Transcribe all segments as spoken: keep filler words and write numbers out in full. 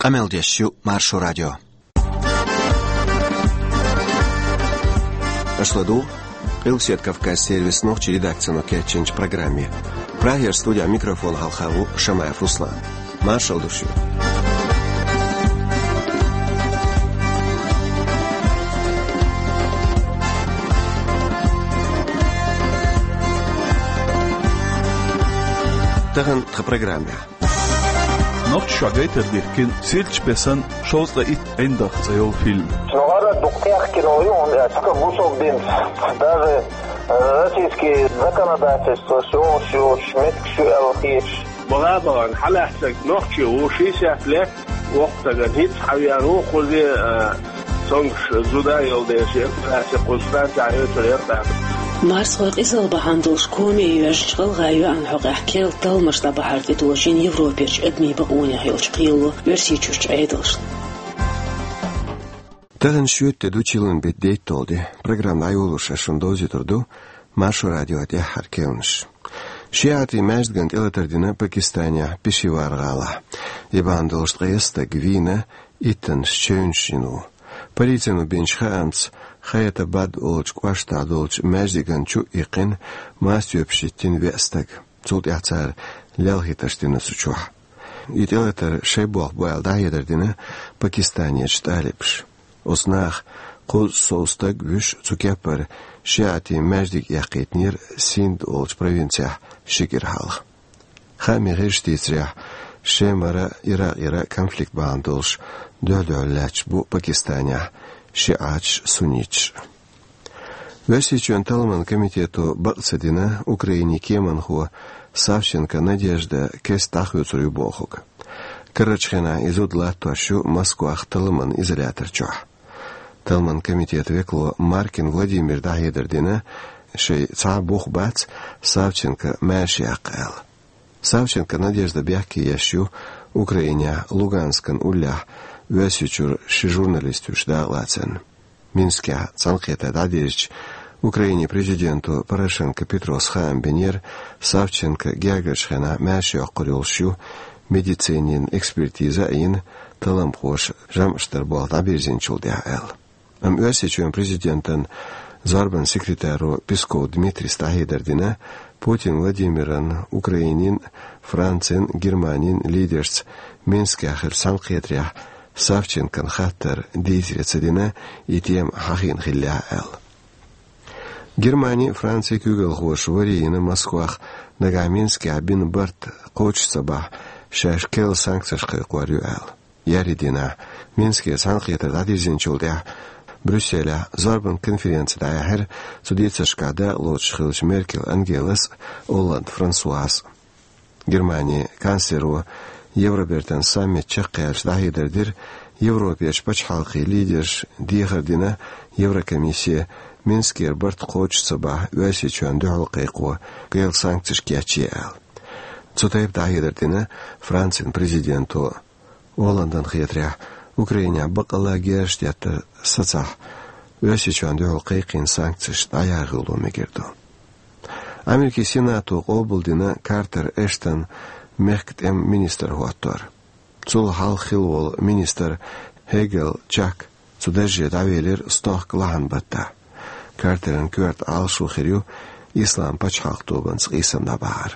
Къамел деш ю Маршо радио. Аша ладугӀу Къилбаседа Кавказ сервисан нохчийн редакцино кечйинчу программе. Прагера студехь микрофон хьалха ву Шамаев Руслан. Маршалла ду шуьга. Тахана тхан программехь. Нохчийчохь гайтар дихкина «Сирчу бесан шовзткъе итт ӀиндагӀ» цӀе йолу фильм. Ну, гӀара дукха кхехкина ю, он, э, цхьа бусалба динца. Даже, э, российский законодательство, шо, шо, меттигаш ю аьлла хеташ. Бала бахана хьалаьцнарг нохчи ву, шестьдесят лет, воккха стагана хӀинца хьавеана ву, кхузе, э, цомгуш зуда йолу дела, операци кхуза станцехь оьцур яра тӀаккха. Марсхой къизалла бахьана долуш коме йоьжначу гӀалгӀайн йоьӀан хьокъехь керла талламаш дӀабахьар тӀедожийна Европерчу адамийн бакъонех йолчу кхело Оьрсийчуьрчу Ӏедалшна. Тахана шоьтан де ду, чиллан беттан дейтталгӀа де. Программа дӀайолош ас шуна довзуьйтур ду Маршо радион тӀаьххьара керланаш. ШиӀатийн маьждигана тӀелатар дина Пакистанехь Пешавар гӀалахь. И бахьана долуш ткъе исс стаг вийна, иттаннаш чевнаш йина ву. Полицино бинчу хаамца, Хайатабад олучу кӀоштахь долчу маьждигана чу а иккхина, мастабоьпаш йиттина веа стаг. Цул тӀаьхьа цара лелхийтарш дина цу чохь. И тӀелатар шайн болх бу аьлла дӀахьедар дина Пакистанерчу тӀалибаша. Оцу наха кхузткъа сов стаг вуьш, цу кеппара шиӀатийн маьждиг эккхийтинера Синд олучу провинцехь ши кӀира хьалха. Хаамийн гӀирсаша дийцарехь, Шемара, Иракъера конфликт бахьана долуш дуьхь-дуьхьал лаьтташ бу Пакистанехь шиӀаташ а, сунниташ а. Оьрсийчоьнан талламан комитето бакъ ца дина Украинин кеманхо Савченко Надежда кеста дӀахоьцур ю бохург. Карарчу хенахь и зуда латтош ю Москвахь талламан изолятор чохь. Талламан комитетан векало Маркин Владимира дӀахьедар дина, шайн цхьа а бух бац Савченко маьрша яккха аьлла. Савченко Надежда бехке еш ю Украинехь Луганскан уллехь Оьрсийчуьра ши журналист вуьйш дакъалацарна. Минскехь цхьаьнакхетар дӀадирзича, Украинин президенто Порошенко Петрос хаам бинера, Савченко гергарчу хенахь маьрша йоккхур йолуш ю, медицинин экспертиза а йина, талламхоша жамӀаш дар болх дӀабирзинчул тӀаьхьа аьлла. Амма Оьрсийчоьнан президентан зорбанан секретаро Песков Дмитрийс дӀахьедар дина, Путин Владимиран, Украинин, Францин, Германин лидершца Минскехь хиллачу цхьаьнакхетарехь Савченкон хаттар дийцаре ца дина, и тема хьахийна хиллехь аьлла. Германи а, Франци а куьйгалхоша варе йина Москвахь нагахь Минскехь бина барт кхочуш ца бахь, шаьш керла санкцеш кхайкхор ю аьлла. Еарин дийнахь Минскера цхьаьнакхетар дӀадирзинчул тӀаьхьа Брюсселехь зорбанан конференци дӀаяьхьира цу дийцаршкахь дакъалоцуш хиллачу Меркель Ангелас а, Олланд Франсуас а. Германин канцлеро Евробертан саммит чекхъяьлча дӀахьедар дира, Европерчу пачхьалкхийн лидерша дехар дина Еврокомиссе, Минскера барт кхочуш ца бахь, Оьрсийчоьнна дуьхьал кхайкхо керла санкцеш кечъе аьлла. Цу тайпа дӀахьедар дина Францин президенто. Олландана хетарехь, Украинехь баккъалла герзаш деттар сацахь, Оьрсийчоьнна дуьхьал кхайкхийна санкцеш дӀаяргӀало мегар ду. Америкин Сенато къобалдина Картер Эштон мехкан тӀеман министр хӀоттор. Цул хьалха хилла волу министр Хьегел Чак цу дарже дӀавелира стохка лахьан баттахь. Картеран коьрта Ӏалашо хир ю Исламан пачхьалкх тобанца къийсам дӀабахьар.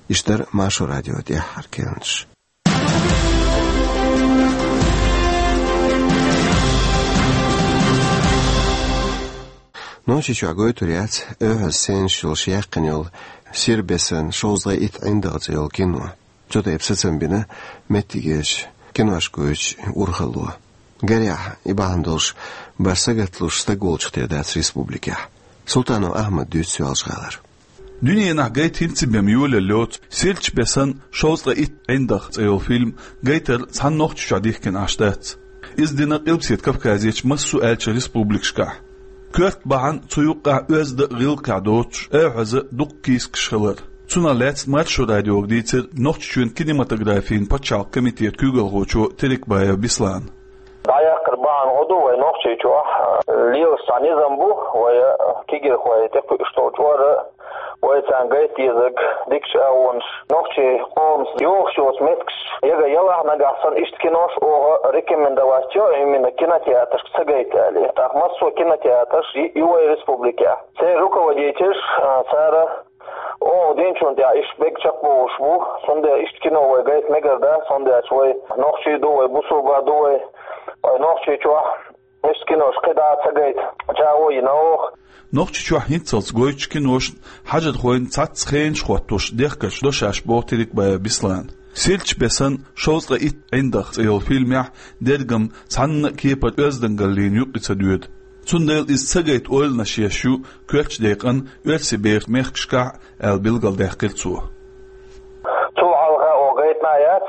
Иштта дара Маршо радион тӀаьххьара керланаш. Нохчийчохь гойтур яц Эвхьаза сценаш йолуш яьккхина йолу «Сирчу бесан шовзткъе итт ӀиндагӀ» цӀе йолу кино. Цу тайпа сацам бина меттигерчу киношкойн урхалло. Гарехь, и бахьана долуш бара сагатлуш стаг волчух тера дац республикехь. Султанов Ахьмада дуьйцу Соьлжа-ГӀалара. Дуьненахь гайта хӀинца а бен йолаелла йоцу «Сирчу бесан шовзткъе итт ӀиндагӀ» цӀе йолу фильм гайтар цхьана Нохчийчохь дихкина Ӏаш дац. Иза дина Къилбаседа Кавказерчу массо а аьллачу республикашкахь. Коьрта бахьана цу юккъехь оьзда а, гӀиллакхехь доцуш Эвхьазан дуккха кийсакаш хилар. Цунах лаьцна Маршо радиога дийцира Нохчийчоьнан кинематографин пачхьалкхан комитетан куьйгалхочо Терекбаев Беслана. ДӀаяккхар бахьана хӀун ду вай Нохчийчохь? Лелаш цхьа низам бу, вай кегийрхой тӀекхуьуш долчу ара Вай царна гайта дезарг дикача агӀонаш, нохчий къоман йохуш йоцу меттигаш яга ялахь, нагахь санна иштта кинош оха рекомендовать йо, именно кинотеатрашка ца гайта аьлла. ТӀаккха массо а кинотеатраш ю вай республикехь. Церан руководителаш, а, цара оха динчунна тӀехь иштта бега чекхбохуш бу, цундела иштта кино вай гайта мегар дац, цундела вай нохчий ду, вай бусулба ду вай, вай Нохчийчохь иштта кинош кхидӀа а ца гайта чӀагӀо йина оха. Нохчийчохь хӀинццалц гойтучу киношна хьажархойн цхьацца хенаш хӀоттош дехкарш до шаьш, боху Терекбаев Беслана. Сирча бесан шовзткъе итт ӀиндагӀ цӀе йолу фильмехь дерригам цхьанна а кепара оьздангаллина юккъе ца доьду. Цундела иза ца гайта ойланаш еш ю коьртачу декъана оьрсийн бехкашкахь а, аьлла билгалдаьккхира цо. Цул хьалха оха гайтина а яц,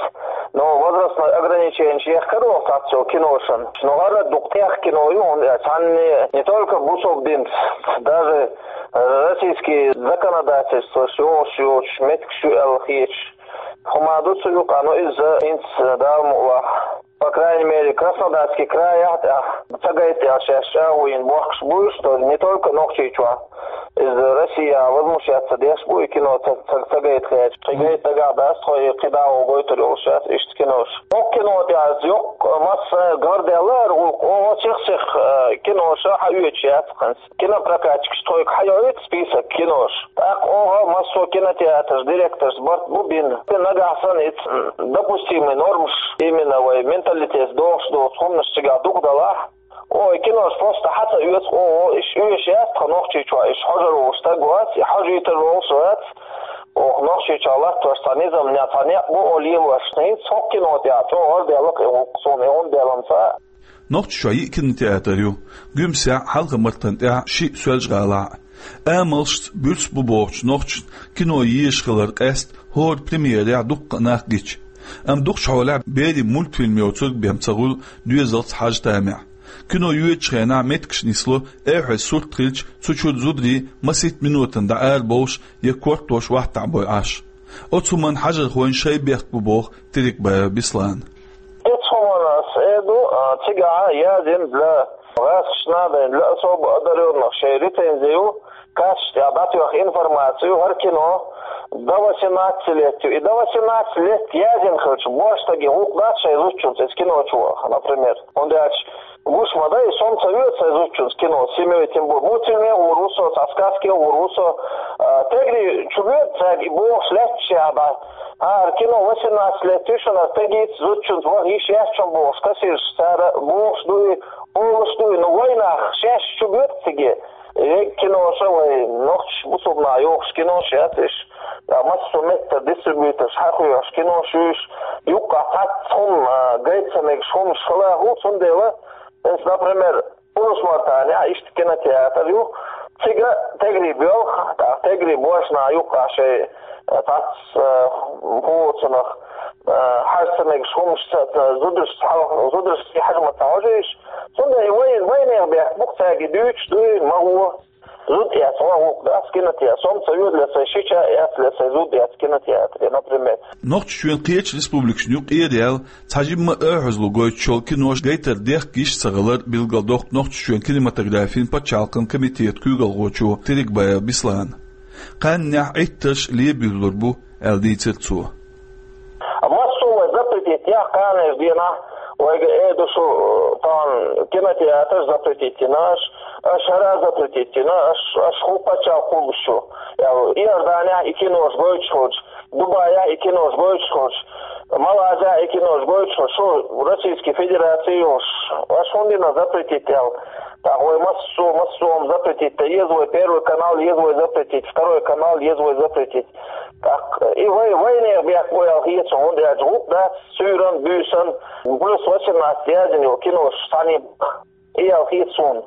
но возрастной ограниченеш ехкара оха цхьацца йолу киношна. Но хӀара дукха техка кино ю, хӀунда аьлча цхьанне не только бусалба динца, даже российский законодательствош йолуш йоцуш меттигаш ю аьлла хеташ хӀума ду цу юкъахь, но иза хӀинца Дала мукъалахь, по крайней мере, Краснодарский крайехь тӀехь ца гайта аьлла шаьш чӀагӀо йина бохкуш бу уьш, то не только Нохчийчохь. Иза Россия возмущаться деш бу, и кино ца, ца, ца гайта хеташ. Кхин гайта дагахь дац тхо, и кхидӀа а гойтур йолуш яц иштта кинош. Оха кино тӀехь йоккха масса гӀардаьлла хӀара гӀуллакх, оха сих-сих, э, киноша хьаоьцуш яц хӀинца. Кинопрокатчикаш тхоьга хьайоуьйту список кинош. ТӀаккха оха массо а кинотеатраш, директорш барт бу бина. Нагахь санна иза, м, допустимый нормаш, именно вай менталитет дохуш доцу хӀуманаш цигахь дукха далахь, оха и кинош просто хьа ца оьцу, оха иш оьшуш яц тхан Нохчийчохь, иш хьожур волуш стаг вац, и хьожуьйтур волуш вац. Оха Нохчийчохь латтош цхьа низам, цхьа некъ бу оха лелош. ХӀинца хӀокху кино тӀехь чӀогӀа гӀардаьлла-кх и гӀуллакх суна, и хӀунда аьлча ца Нохчийчохь йиъ кинотеатр ю, Гуьмсехь, Хьалха-Мартан тӀехь, шиъ Соьлжа-ГӀалахь. Амалшца буьрса бу бохучу нохчашна кино езаш хилар къаьста хӀора премьерехь дуккха а нах гича. Амма дукхачу хьолехь берийн мультфильм йоцург бен ца хуьлу доьзалца хьажа тамехь. Кино йоьдучу хенахь меттигаш нисло, эхье сурт хилча, цу чуьра зударий масийтта минотана дӀа ара бовлуш я кортош вахтахь бой Ӏаш. Оцу хӀуманна хьажархойн шайн бехк бу боху Терекбаев Беслана. Оцу хӀуманна ас эр ду, а, цигахь язйина для гӀазкхашна а, для особо одарённых шайн рецензи ю, кассаш тӀехь дӀатоьхна информаци ю, хӀара кино до восемнадцати лет ю. И до восемнадцати лет язйина хилча, божа стаге гӀуллакх дац шайн зудчуьнца иза кино чу ваха, например. ХӀунда аьлча гуш ма дай, сом ца веза сайн зудчуьнца кино, семьей тем более. Мультфильме гӀур ву со, цхьа сказке гӀур ву со, а, тегри чу воьду цаьрга и бохуш лаьтташ а бац. ХӀара кино восемнадцати лет ю шуна, тегица зудчуьнца ваха йиш яц шуна бохуш, кассирша цара бохуш ду и, олуш ду и, но вайнах шаьш чу боьду циге. Вегга киноша вай нохчаш бусулба наха йохуш кинош яц иш, а, массо а меттара дистрибьюторш хьахоьхьуш кинош ю иш, юккъахь цхьацца хӀума, а, гайта ца мегаш хӀумаш хила а хуьлу, цундела, эс, например, Урус-Мартанехь иштта кинотеатр ю, цига тегри боьлху, тӀаккха тегри божа наха юккъахь шайн, а, цхьацца, а, хӀоцанах, а, хьажа ца мегаш хӀумаш ца, ца, зударшца хьал-, зударшца хьажа ма ца хьожийша. Цундела и вай, вайнех бехк бу-кх цаьрга дуьйцуш дуй, ма гӀо. Зуда эцна гӀуллакх дац кинотеатр, сом ца веза ле сайн шича эцна ле сайн зуда эцна кинотеатре, например. Нохчийчоьнан кхечу республикашна юкъера яьлла цхьа жимма а оьгӀазло гойтуш йолу кинош гайтар дехка йиш ца хилар билгалдоккху Нохчийчоьнан кинематографин пачхьалкхан комитетан куьйгалхочо Терекбаев Беслана. Кхаьннехь Ӏиттарш лебуьйлур бу, аьлла дийцира цо. А массо а вай запретить яхь кханерчу дийнахь, вайга эр ду шу, э, тахана кинотеатраш запретить йина аша, аша хӀара запретить йина, аша, аша хӀун пачхьалкх кхуллуш ю. Аьлла, Иорданехь и кинош гойтуш хилча, Дубайехь и кинош гойтуш хилча, Малайзехь и кинош гойтуш хилча, шу Российский Федераци йолуш, аша хӀунда йина запретить аьлла? ТӀаккха вай массо, массо а хӀума запретить дан еза, вай Первый канал еза вай запретить, Второй канал еза вай запретить. ТӀаккха и вай, вайнех бехк бу аьлла хета суна, хӀунда аьлча гӀуллакх дац суьйранна, буьйсанна, плюс восемнадцать яздина йолу кинош санна, и аьлла хета суна.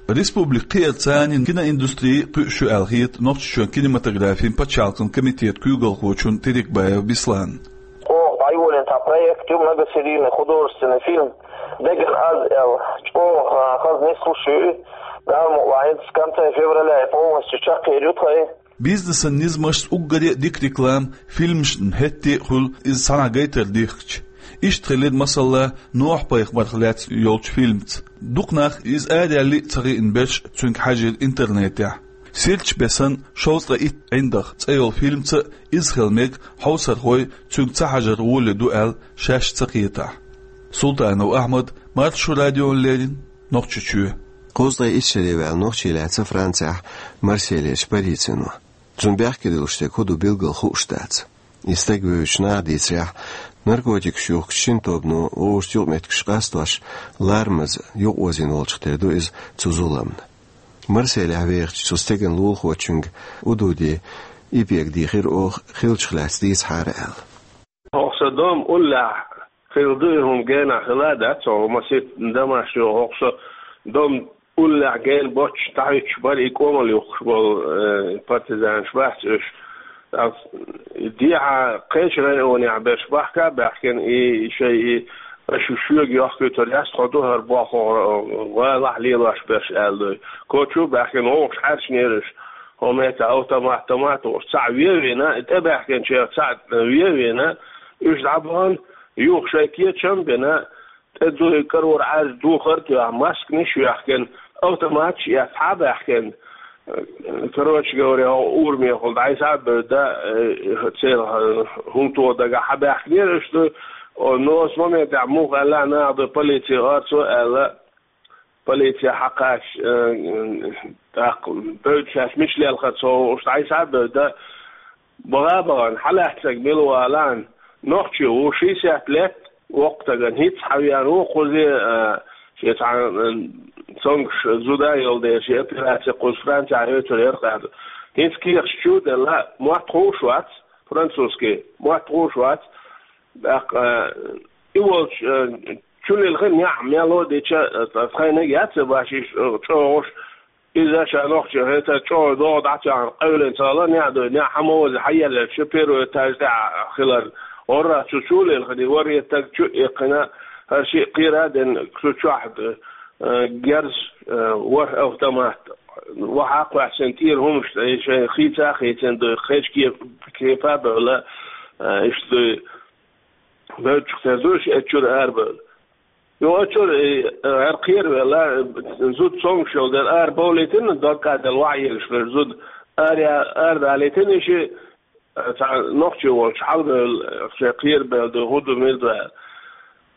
Республикан кхиарца киноиндустрия кхуьуш ю аьлла хета Нохчийчоьнан кинематографин пачхьалкхан комитетан куьйгалхочунна Терекбаев Бесланна. Оха дӀайолийна цхьа проект ю, многосерийный художественный фильм «Деган аз» аьлла, чӀогӀа хаза нислуш ю и. Дала мукъалахь, хӀинца в конце февраля и полностью чекхъер ю тхайн. Бизнесан низамашца уггаре а дика реклама фильмашна хӀетте а хуьлу, иза цхьанхьа гайтар дихкича. Иштта хилира, масала, Нохь-пайхамарх лаьцна йолчу фильмаца. Дукха нах, иза араяьлла а ца хиъна берш, цуьнга хьаьжира интернетехь. Сирча бесан шовзткъа итт ӀиндагӀ цӀе йолу фильмаца а иза хила мега хьовсархой цуьнга ца хьажар гӀоле ду аьлла шаьш ца кхетахь. Султанов Ахьмад, Маршо радиона леррина, Нохчийчоь. Кхузткъе итт шаре ваьлла нохчи лаьцна Францехь Марсельерчу полицино. Цунна бехке дуьллуш стаг хӀун ду билггал хууш дац. И стаг вевзачу наха дийцарехь, наркотикаш юхкучу шина тобано вовшашца юкъаметтигаш къастош, ларамаза юкъаозийна волчух тера ду иза цу зуламна. Марсельехь вехачу цу стеган лулахочуьнга Удуди Ипига дийхира оха хиллачух лаьцна дийцахьара аьлла. ХӀокху сан дом уллехь хилла ду и хӀума, генахь хилла а дац хӀокху масийтта дамаш йолу хӀокху сан дом уллехь гена боццуш дӀахӀуьттуш бара и кӀомал юхкуш болу, э, партизанаш бац уьш. Ас дехьа кхечу районехь берш бахка а баьхкина, и шайн и аша шуьга йохкуьйтур яц, тхо ду хӀара болх, гӀалахь лелош берш аьлла дуй. Кочу а баьхкина, вовшах хьаьрчинера уьш. ХӀокху метта автомат, томат а волуш, цхьаъ вен а вина, и тӀебаьхкинчех цхьаъ вен а вина, уьш дӀабахана, юха шайн кечам а бина, тӀе дуй карор Ӏаьржа духар а тоьхна, масканаш а йоьхкина, автоматаш а эцна, хьа а баьхкина. Короче говоря, хӀокху урамехула дӀасхьа а бевдда, э, церан хӀума тоха дагахь хьа баьхкинера уьш ду. О, но оцу моментехь муха аьлла наха ду, полици орцо а аьлла, полици хьакхача, э, тӀаккха бевдда шаьш мича лелхара ца хууш дӀасхьа а бевдда, баха а бахана, хьалаьцнарг мила ву алахьа, нохчи ву, шестьдесят лет, воккха стагана хӀинцца хьавеана ву, кхузе, а, шен цхьа, а, цомгуш зуда а йолу дела, шен операци кхуза Францехь йойтур яра кхаьбна. ХӀинцца кехаташ чу а делла, мотт хууш вац, французский мотт хууш вац, тӀаккха, а, и волчу, а, чу лилхина неӀ мел а дича, а, тхайниг яц а башиш, а, чӀогӀуш, иза ша нохчи хӀета чӀогӀа догӀа дӀа а тоьхна, къевлина ца хилла, неӀ дуй, неӀ хьан ма вази, хьан елларчу первый этаж тӀехь хилар. ГӀорра цу чу а лилхина, ворхӀе стаг чу а иккхина, хӀара шиъ кхера а дина, цу чохь, э, герз, э, ворхӀ автомат, вахьа а кхоьссина, тӀера хӀуманаш, э, шайн хийца а хийцина дуй, кхечу кеп-, кепа а бевлла, э, иштта дуй. Бевддачух тера ду уьш, оцу чуьра арабевлла. Юха оцу чуьра, э, хӀара кхеравелла, зуда цомгуш йолу дела, арабовлийтина, дог кӀаделла вахьа егаш верг зуда ара-, арадалийтина, и шиъ, э, цхьа нохчи волчу хьалабевлла, э, шайн кхерабевлла ду, хӀун ду, мила ду аьлла.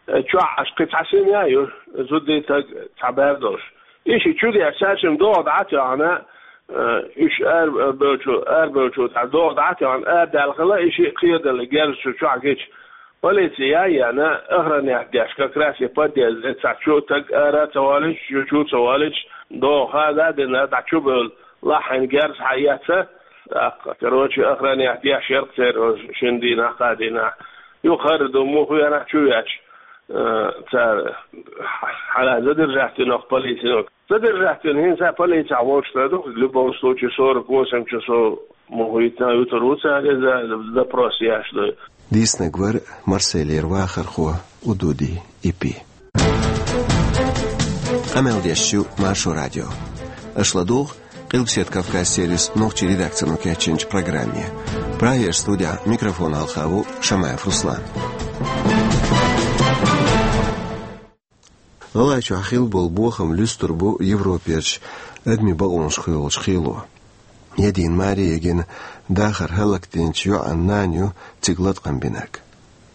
Э, чохь аш кхин цхьа син а ю, зудий стаг цхьа бер долуш. И шиъ чу деш, цаьршимма догӀа дӀа а тоьхна, э, уьш арабевллачу, арабевллачу цхьа догӀа дӀа а тоьхна, арадаьлла хилла, и шиъ кхераделла герз чу чохь гича. Полици яй а яьхна, охранять деш, как раз и подъезде цхьа чу стаг ара а ца волуьйтуш, чу, чу а ца волуьйтуш, догӀа хада а дина, дӀа чу бевлла, лахьийна герз схьаэцна, тӀаккха, короче, охранять деш яра-кх церан шина дийнахь, кхаа дийнахь. Юха хӀара ду муха веанахь чу веача, э, цара хьала задержать вина полицино. Задержать вина хӀинца полицехь волчу тера ду, в любом случае, сорок восемь часов муха витина, вуьтур ву цара иза, допрос еш ду. Дийцинарг вара Марсельера вахархо Удуди Ипи. Къамел деш ю Маршо радио. Аша ладугӀу Къилбаседа Кавказ сервисан нохчийн редакцино кечйинчу программе. Прагера студехь микрофона хьалха ву Шамаев Руслан. ГӀалгӀайчохь хилла болу бохам луьстур бу Европерчу адамийн бакъонашка йолчу хило. Едина маре а йигна, дахар хӀаллакдинчу йоӀан нана ю цига латкъам бинарг.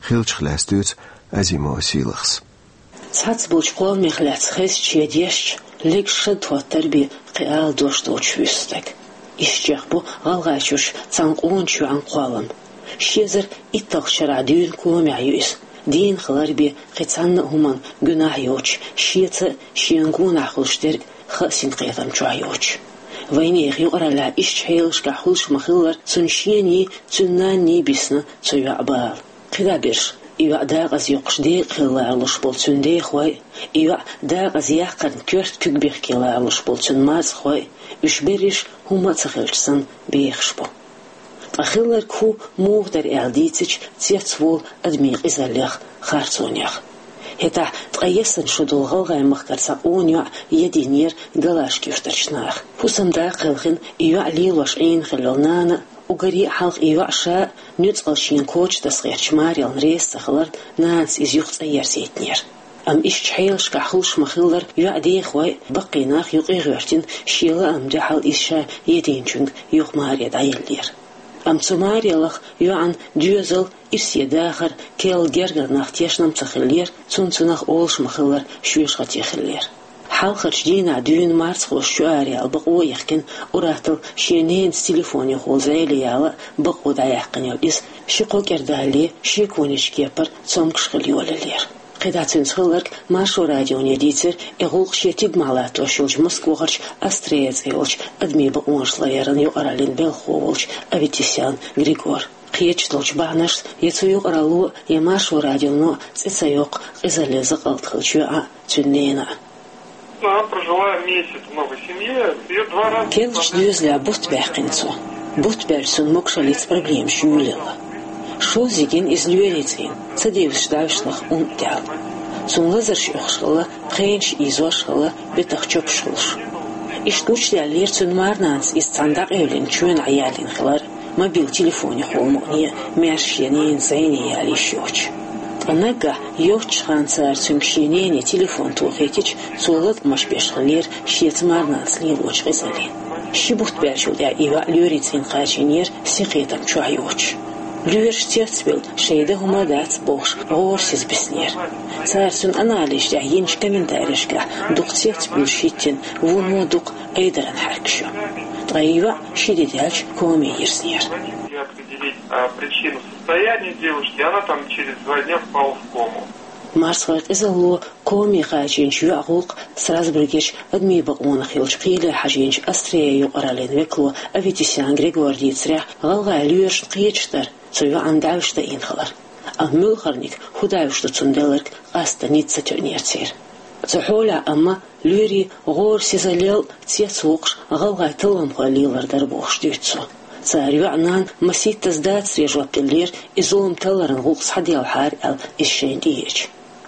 Хиллачух лаьцна дуьйцу Азимова Сийлахьас. Цхьацца болчу кхолламех лаьцна хезча, шен дешча, легаш шад хӀоттар бен кхин ала дош доцуш вуьсу стаг. Иштта чекхбу ГӀалгӀайчуьрчу цхьана къоначу йоӀан кхоллам. Ши эзар итталгӀачу шарахь дуьйна комехь ю иза. Дийна хилар бен кхин цхьанна а хӀуманна гуьнахь йоцуш, шеца а, шена гонахь хуьлуш дерг а хаа синкхетам чохь йоцуш. Вайнехан юкъараллехь иштачу хьелашкахь хуьлуш ма-хиллара, цуьнан шений, цуьнан нанний бисна цу йоӀан бала. КхидӀа берш, и йоӀ декъаза йоккхуш декъахь хила ларалуш болу цуьнан дехой а, и йоӀ декъаза яккхарна коьрта куьг бехке ларалуш болу цуьнан марзхой а, уьш берриш хӀумма а ца хилча санна бехаш бу. Ткъа хилларг хӀун, муха дара аьлла дийцича, цецволу адамийн къизаллех, харцонех. ХӀетахь ткъе ялх шо долу ГӀалгӀайн махкара цхьа къона йоӀ едийнера Галашка юьртарчу наха. ХӀусамда кхелхина и йоӀ лелош Ӏийна хилла йолу нана а, уггаре а хьалха и йоӀ ша а нуьцкъала шена коча таса гӀертачу марална реза ца хиларна, нанас иза юха цӀа ерзийтинера. Амма иштта хьелашкахь хуьлуш ма-хиллара, йоӀ дехой, баккхий нах юкъе гӀоьртина, шен лаам дуьхьал иза ша единчуьнга юха маре дӀаеллера. Амма цу маре лаха йоӀан доьзал, ирсе дахар, керла гергара нах тешна-м ца хиллера, цунна цунах олуш ма-хиллара шоьшахати хиллера. Хьалхарчу дийнахь дуьйна марзхоша чу араяьлла бакъо а йихкина, уьттазза шен ненаца телефонехула зӀене яла а, бакъо дӀаяьккхина йолу иза ши-кхо кӀира далале, шеконечу кепара цомгуш хила йолаеллера. КхидӀа цуьнца хилларг Маршо радионе дийцира и гӀуллакх шен тидамехь латтош йолчу Москвахарчу «Астрея» цӀе йолчу адамийн бакъонаш ларъяран юкъараллин белхахо волчу Аветисян Григора. Кхеташ долчу бахьанашца я цу юкъаралло, я Маршо радионо цӀе ца йоккху къизаллин закъалт хиллачу йоӀан а, цуьнан ненан а. Она прожила месяц в новой семье, её два раза... Керлачу доьзалехь бутт баьккхина цо. Бутт баьлча цунна могушаллица проблемаш юьйлаелла. ШоззагӀа иза лоьрийн цӀийнан, ца девзаш дӀавижнарх умма тӀехь. Цунна лазарш оьхуш хилла, пхенаш ийзош хилла, бетах чопаш хуьлуш. Иштта гучудаьллера цуьнан марнанас иза цхьаьна дӀакъевлина чоьнахь яьллина хилар, мобил телефонехула мукъане а, маьрша шен ненан зӀене яла йиш йоцуш. Ткъа наггахь йоццачу хенахь цара цуьнга шен нене телефон тохийтича, цо латкъамаш беш хиллера шеца марнанас лелочу къизаллин. Ши бутт баьллачул тӀаьхьа и йоӀ лоьрийн цӀийнан кхачийнера, синкхетам чохь йоцуш. Лоьраш цецбевлла, шайн дан хӀума а дац бохуш, гӀорасиз биснера. Цара цуьнан анализаш тӀехь йинчу комментарийшкахь дукха цецбуьйлуш хӀиттина вуно дукха айдаран хьаьркаш ю. Ткъа и йоӀ ши де даьлча коме йирзнера. Определить, а, причину состояния девушки, она там через два дня впала в кому. Марсхойн къизалло коме кхачийначу йоьӀан гӀуллакх Страсбургерчу адамийн бакъонах йолчу кхеле хьажийначу «Астрея» юкъараллин векало Аветисян Григора дийцарехь, гӀалгӀайн лоьрашна кхеташ дара цу йоӀан дӀавижа дайина хилар. Амма муьлхарниг хӀун дӀавижа ду цунна делларг къаста ницкъ ца тоьънера церан. Цу хьолехь амма лоьрийн гӀорасизаллел цецвоккхуш гӀалгӀайн талламхой лелар дара бохуш дуьйцу цо. Цара йоьӀан нанна масийттаза дацаре жоп деллера, и зулам талларан гӀуллакх схьаделхьара аьлла, иза шайна тӀееача.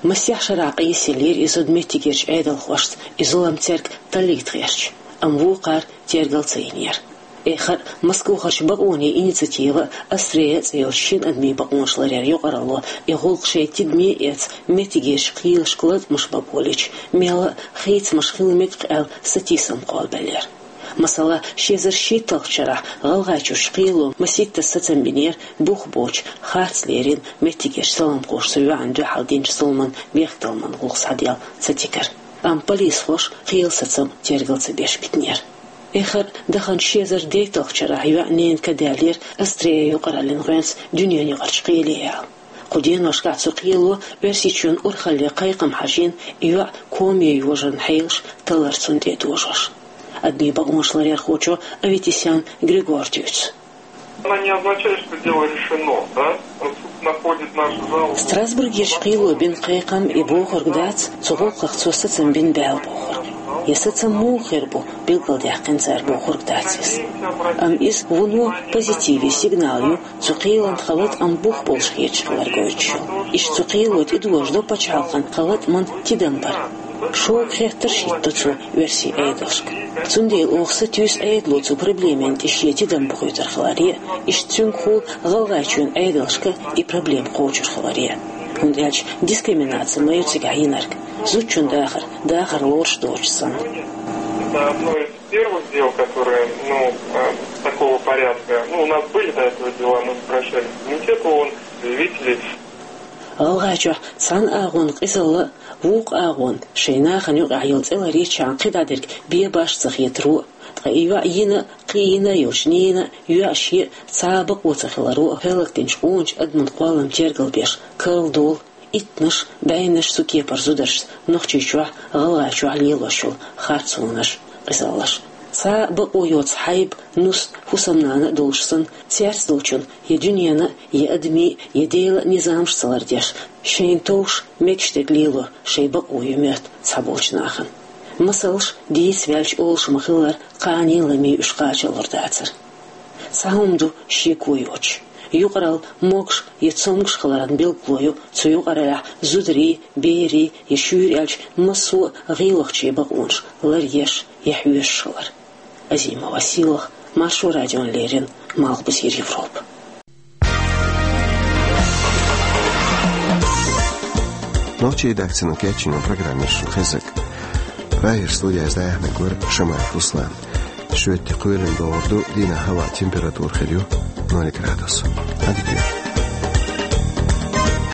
Масех шарахь къийсаеллера и зуда меттигерчу Ӏедалхошца, и зулам цаьрга таллийта гӀерташ, амма вукхара тергал ца йинера. Эххар а Москвахарчу бакъонийн инициатива а, «Астрея» цӀе йолчу шина адамийн бакъонаш ларъяран юкъаралло и гӀуллакх шайн тидаме а эцна, меттигерчу кхелашка латкъамаш бакъо лича, мелла а хийцамаш хила мега-кх аьлла, сатийсам кхоллабеллера. Масала, ши эзар шийтталгӀачу шарахь ГӀалгӀайчуьрчу кхело масийттаза сацам бинера бух боцуш, харц лерина меттигерчу саламхоша цу йоьӀанна дуьхьал динчу зуламан бехктакхаман гӀуллакх схьаделла цатигара. Амма полисхоша кхелан сацам тергал ца беш битинера. Эххар а даханчу ши эзар дейтталгӀачу шарахь йоьӀан ненан ка даьллера «Астрея» юкъараллин гӀоьнца дуьненаюкъарчу кхеле яла. Кху деношкахь цу кхело Оьрсийчоьнан урхалле кхайкхам хьажийна, и йоӀ коме йожаран хьелаш таллар цунна тӀе а дожош. Адамийн бакъонаш ларъярхочо Аветисян Григора дуьйцу. Она не означает, что дело решено, да? Суд находит наши жалобы. Страсбургерчу кхело бина кхайкхам и бохург дац, цу гӀуллакхах цо сацам бина баьлла бохург. Я сацам муха хир бу, билгалдаьккхина цара бохург дац иза. Амма иза вуно позитиве сигнал ю, цу кхелан халат а бух болуш хеташ хилар гойтуш ю. Иштта цу кхело тӀедожадо пачхьалкхан халатаман тидам бар. Шога хеттарш хӀитто цо оьрсийн Ӏедалшка. Цундела оха сатуьйсу Ӏедало цу проблемина тӀе шен тидам бухуьйтур хиларе а, иштта цуьнгахула ГӀалгӀайчоьнан Ӏедалшка и проблема кхочур хиларе а. ХӀунда аьлча дискриминаци ма ю цигахь йинарг, зудчун дахар, дахар лоруш доцуш санна. Это одно из первых дел, которые, ну, э, такого порядка. Ну, у нас были до этого дела, мы обращались в комитет ООН, заявители. ГӀалгӀайчохь цхьана агӀонан къизалла а, вукху агӀонан шайн нахана юкъахь йолу цӀе ларъечхьана кхидӀа дерг бен баш ца хетаро а, ткъа и йоӀ йина а, кхин йина а йолчу ненан а, йоьӀан шен а цхьа а бакъо ца хиларо а хӀаллакдинчу къоначу адаман кхоллам тергал беш, карладолу иттаннаш, бӀеннаш цу кепара зударшца Нохчийчохь, ГӀалгӀайчохь лелош йолу харцонаш, къизаллаш. Цхьа а бакъо йоцу хьайба, нус, хӀусамнана а долуш санна, цаьрца долчун я дуьненан, я адамийн, я Делан низамаш ца лардеш, шайна товш мегаш дерг лело шайн бакъо ю моьтту цхьаболчу нахана. Масалш дийца ваьлча олуш ма-хиллара, кхане а ламе уьш кхачалур дацара. Цхьа хӀума ду шеко йоцуш. Юкъаралла могуш я цомгуш хиларан билгало ю цу юкъараллехь зударийн, берийн я, шуьйра аьлча, массо а гӀийлахчийн бакъонаш ларъеш я хьоьшуш хилар. Азимова Сийлаха, Маршо радиона леррина, Малхбузера Европа. Нохчийн редакцино кечйина программа шуна хезарг. Прагера студехь дӀаяьхьнарг вара Шамаев Руслан. Шоьтан кхоьлина догӀур ду, дийнахь хӀаваан температура хир ю ноль градус. Ӏадика йойла.